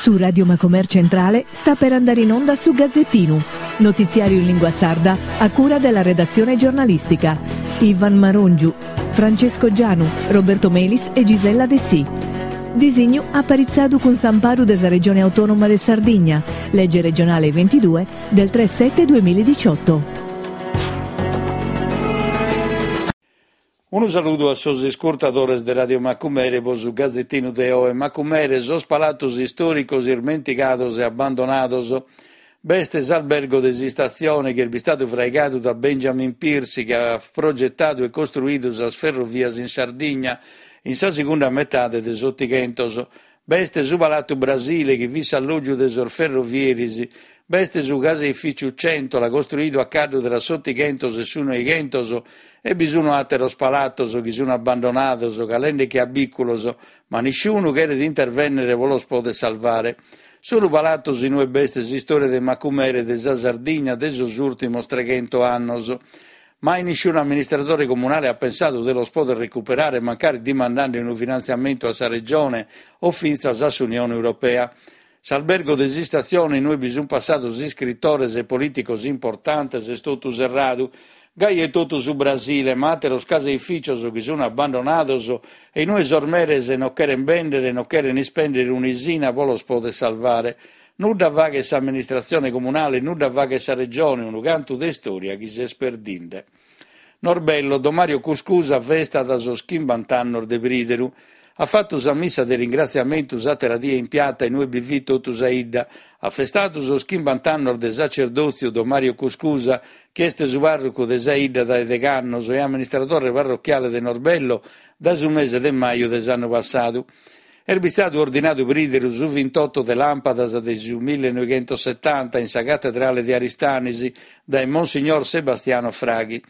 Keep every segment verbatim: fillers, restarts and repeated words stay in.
Su Radio Macomer Centrale sta per andare in onda su Gazzettinu, notiziario in lingua sarda a cura della redazione giornalistica. Ivan Marongiu, Francesco Gianu, Roberto Melis e Gisella Dessì. Disignu aparitzadu cun s'amparu de sa Regione Autonoma de Sardigna, legge regionale ventidue del tre sette duemiladiciotto. Unu saludu a sos iscurtadores de Radio Macumere pro su Gazzettinu de oe. Macumere, sos palatos istòricos ismentigados e abbandonados. B'est s'albergo de s'istatzione chi est bistadu fraigadu da Benjamin Piercy, chi at progetadu e costruidu sas ferrovias in Sardigna in sa segunda metade de s'Otighentos. B'est su Palatu Brasile, chi fit s'allògiu de sos ferrovieris. B'est su caseificiu Centola, costruidu a caddu tra s'Otighentos e su Noighentos, e bi sunt àteros palatos chi sunt abbandonados, calende che a bìculos, ma nisciunu cheret intervènnere pro los poder salvare. Solu palatos in ue b'est s'istòria de Macumere e de sa Sardigna de sos ùrtimos treghento annos. Mai nisciunu amministradore comunale at pensadu de los poder recuperare, mancari dimandende unu finantziamentu a sa Regione o fintzas a s'Unione Europea. S'albergo de s'istatzione in ue bi sunt passados iscritores e polìticos importantes est totu serradu. Gai e totu su Brasile, ma àteros caseificios chi sunt abbandonados e in ue sos meres non cherent bèndere e non cherent ispèndere un'isina pro los poder salvare. Nudda faghet s'amministratzione comunale, nudda faghet sa Regione, unu cantu de istòria chi s'est perdinde. Norbello, Don Mario Cuscusa festat sos chimbant'annos de prìderu. At fatu sa missa de ringratziamentu s'àtera die in piata in ue bi fit totu sa 'idda. At festadu sos chimbant'annos de sacerdòtziu Don Mario Cuscusa, chi est su pàrrocu de sa 'idda dae degh'annos e amministradore parrochiale de Norbello dae su mese de maju de s'annu passadu. Est bistadu ordinadu prìderu su vintotto de làmpadas de su millenoighentosetanta in sa catedrale de Aristanis dae Monsignor Sebastiano Fraghi.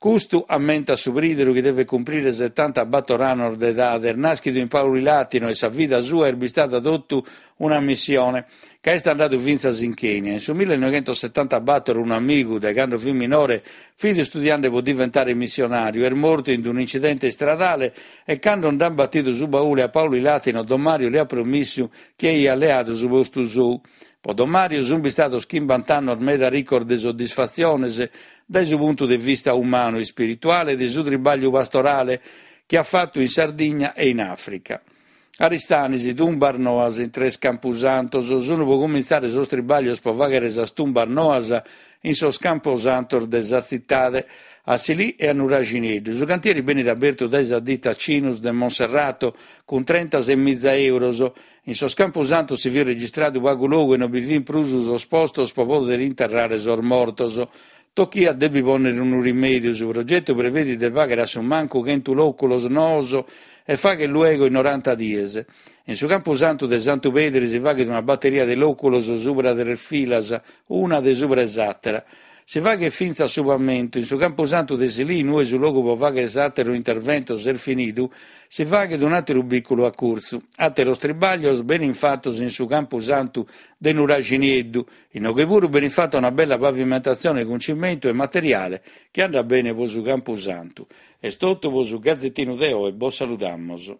Custu ammentat su prìderu chi devet cumprire setantabattor annos de edade. Est nàschidu in Paulilatino e sa vida sua est bistada totu una missione, ca est andadu fintzas in Kenya. In su millenoighentosetantabattor unu amigu, dae cando fit minore, fit istudiende pro diventare missionàriu. Est mortu in unu incidente istradale e cando nd'ant batidu su baule a Paulilatino, Don Mario li at promissu chi aiat leadu su postu sou. Pro Don Mario sunt bistados chimbant'annos meda ricos de soddisfatziones dae su puntu de vista umanu, ispirituale e de su tribagliu pastorale chi at fatu in Sardigna e in Àfrica. Aristanis, tumbas noas in tres campusantos. Sunt pro cumintzare sos tribaglios pro fàghere sas tumbas noas in sos camposantos de sa tzitade, a Silì e a Nuraxineddu. Su cantieri benit abertu dae sa dita Cinus de Monserrato cun trentases miza euros. In sos campusantos si fit registradu pagu logu e non bi fint prus sos postos pro poder interrare sos mortos. Tochiat de bi pònnere unu rimèdiu. Su progetu prevedit de fàghere a su mancu chentu lòculos noos e faghet luego in noranta dies. In su campusantu de Santu Pedru si faghet una bateria de lòculos subra tres filas, una de subra 'e s'àtera. Si faghet fintzas su pamentu. In su campusantu de Silì, in ue su logu pro fàghere s'àteru interventos est finidu, si faghet un'àteru bìculu a curtzu. Àteros tribaglios benint fatos in su campusantu de Nuraxinieddu. Inoghe puru benit fata una bella pavimentatzione cun cimentu e materiale chi andat bene pro su campusantu. Est totu pro su Gazzettinu de oe, bos saludamos.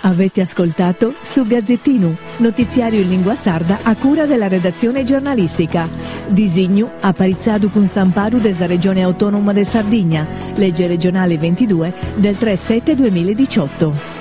Avete ascoltato su Gazzettinu, notiziario in lingua sarda a cura della redazione giornalistica. Disignu aparitzadu cun s'amparu de sa Regione Autonoma de Sardigna, legge regionale ventidue del tre sette duemiladiciotto.